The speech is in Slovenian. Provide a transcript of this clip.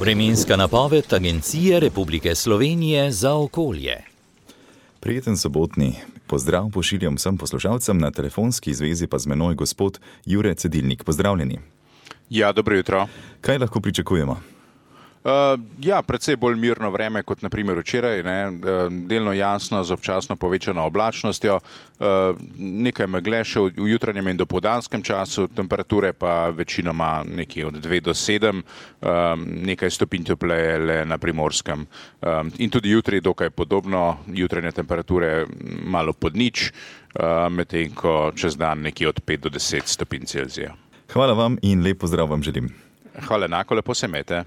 Vremenska napoved Agencije Republike Slovenije za okolje. Prijeten sobotni pozdrav pošiljam vsem poslušalcem, na telefonski zvezi pa z menoj gospod Jure Cedilnik. Pozdravljeni. Ja, dobro jutro. Kaj lahko pričakujemo? Precej bolj mirno vreme kot naprimer včeraj, delno jasno z občasno povečano oblačnostjo, nekaj megle še v jutranjem in dopoldanskem času, temperature pa večinoma nekje od 2 do 7, nekaj stopinj topleje le na Primorskem. In tudi jutri dokaj podobno, jutranje temperature malo pod nič, medtem ko čez dan nekje od 5 do 10 stopinj Celzija. Hvala vam in lep pozdrav vam želim. Hvala enako, lepo se imejte.